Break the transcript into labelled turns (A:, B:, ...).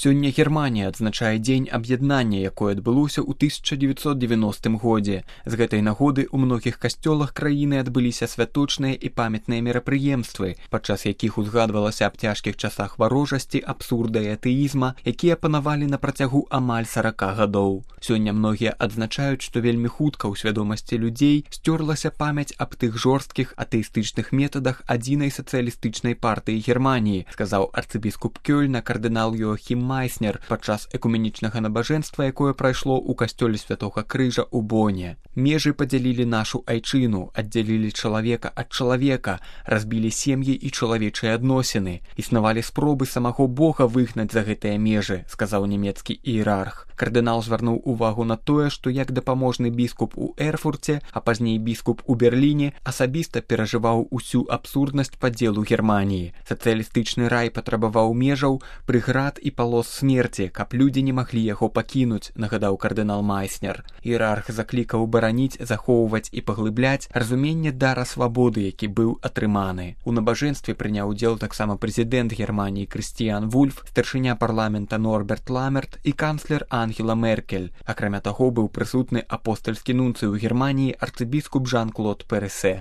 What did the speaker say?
A: Сёння Германія адзначае дзень аб'яднання, якое адбылося ў 1990 годзе. З гэтай нагоды ў многіх касцёлах краіны адбыліся святочныя і памятныя мерапрыемствы, падчас якіх узгадвалася аб цяжкіх часах варожасці, абсурда і атэізма, якія панавалі на працягу амаль 40 гадоў. Сёння многія адзначаюць, што вельмі хутка ў свядомасці людзей сцёрлася памяць аб тых жорсткіх атэістычных метадах адзінай сацыялістычнай партыі Германіі, сказаў арцыбіскуп Кёльна кардынал Йоахім Майснер падчас экуменічнага набажэнства, якое прайшло ў касцёле Святога Крыжа ў Боне. Межы падзялілі нашу айчыну, аддзялілі чалавека ад чалавека, разбілі сем'і і чалавечыя адносіны. Існавалі спробы самого Бога выгнаць за гэтыя межы, сказаў нямецкі іерарх. Кардынал звярнуў увагу на тое, што як дапаможны біскуп у Эрфурце, а пазней біскуп у Берліне, асабіста перажываў усю абсурднасць падзелу Германіі. Сацыялістычны рай патрабаваў межаў, прыград і палос смерці, каб людзі не маглі яго пакінуць, нагадаў кардынал Майснер. Іерарх заклікаў бараніць, захоўваць і паглыбляць разуменне дара свабоды, які быў атрыманы. У набажэнстве прыняў удзел таксама прэзідэнт Германіі Крыстіян Вульф, старшыня парламента Норберт Ламерт і канцлер Ангела Меркель. Акрамя таго, быў прысутны апостальскі нунцый у Германіі арцыбіскуп Жан-Клод Пересе.